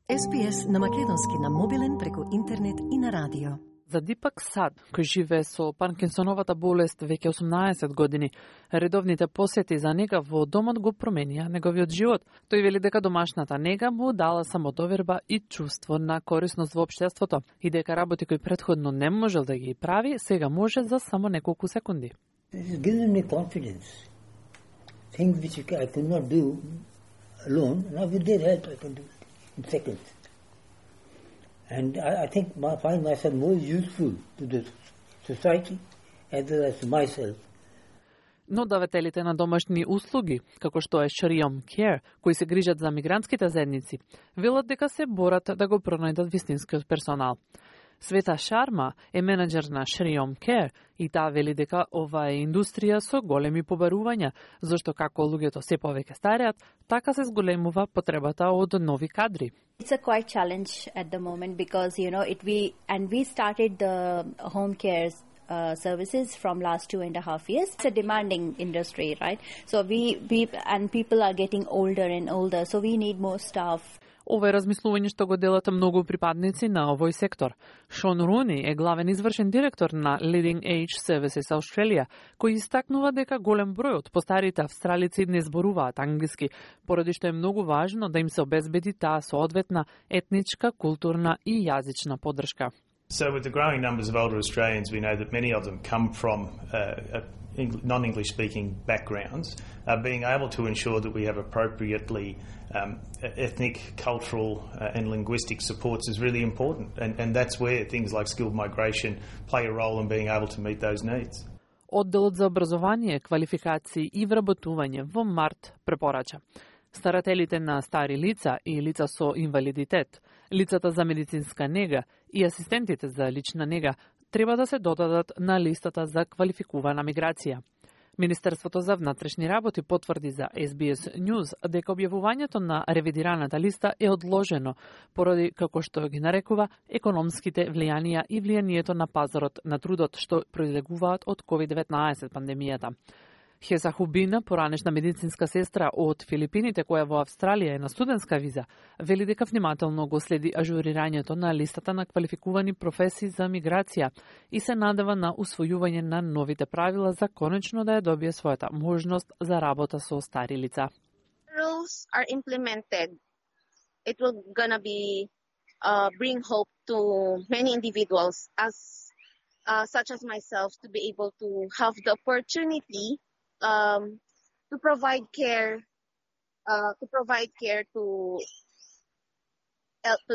SPS на македонски на мобилен преку интернет и на радио. За Дипак Сад, кој живее со Паркинсоновата болест веќе 18 години, редовните посети за нега во домот го променија неговиот живот. Тој вели дека домашната нега му дала самодоверба и чувство на корисност во општеството и дека работи кои претходно не можел да ги прави, сега може за само неколку секунди. It gives me confidence. Things which I could not do alone, now with their help I can do in seconds. And I think I find myself more useful to the society as well as to myself. Но давателите на домашни услуги, како што е Shriom Care, кои се грижат за мигрантските заедници, велат дека се борат да го пронајдат вистинскиот персонал. Света Шарма е менеджер на Shriom Care и таа вели дека ова е индустрија со големи побарувања, зашто како луѓето се повеќе стареат, така се зголемува потребата од нови кадри. It's a quite challenge at the moment because we started the home care services from last 2.5 years. It's a demanding industry, right? So people are getting older and older, so we need more staff. Ова е размислување што го делат многу припадници на овој сектор. Шон Руни е главен извршен директор на Leading Age Services Australia, кој истакнува дека голем број од постарите австралици не зборуваат англиски, поради што е многу важно да им се обезбеди таа соодветна етничка, културна и јазична поддршка. So with the growing numbers of older Australians, we know that many of them come from non-English speaking backgrounds. Being able to ensure that we have appropriately ethnic, cultural and linguistic supports is really important. And that's where things like skilled migration play a role in being able to meet those needs. Одделот за образование, квалификации и вработување во март препорача старателите на стари лица и лица со инвалидитет, лицата за медицинска нега и асистентите за лична нега треба да се додадат на листата за квалификувана миграција. Министерството за внатрешни работи потврди за SBS News дека објавувањето на ревидираната листа е одложено поради, како што ги нарекува, економските влијанија и влијанието на пазарот на трудот што произлегуваат од COVID-19 пандемијата. Хеса Хубина, поранешна медицинска сестра од Филипините која во Австралија е на студентска виза, вели дека внимателно го следи ажурирањето на листата на квалификувани професии за миграција и се надева на усвојување на новите правила за конечно да ја добие својата можност за работа со стари лица. Rules are implemented. It will gonna be bring hope to many individuals such as myself to be able to have the opportunity to provide care to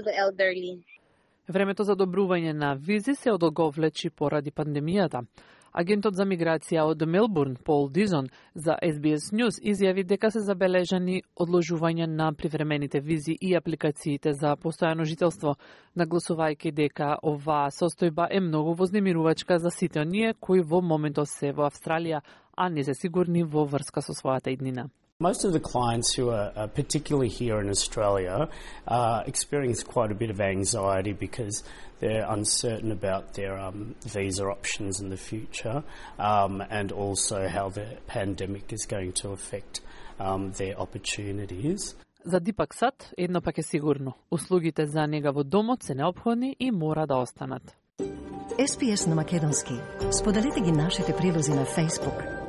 the elderly. Времето за одобрување на визи се одолговлечи поради пандемијата. Агентот за миграција од Мелбурн, Пол Дизон, за SBS News изјави дека се забележани одложување на привремените визи и апликациите за постојано жителство, нагласувајќи дека оваа состојба е многу вознемирувачка за сите оние кои во моментот се во Австралија, а не се сигурни во врска со својата иднина. Most of the clients who are particularly here in Australia experience quite a bit of anxiety because they're uncertain about their visa options in the future and also how the pandemic is going to affect their opportunities. За Дипак Сад едно пак е сигурно. Услугите за нега во домот се неопходни и мора да останат. SPS на македонски. Споделете ги нашите прилози на Facebook.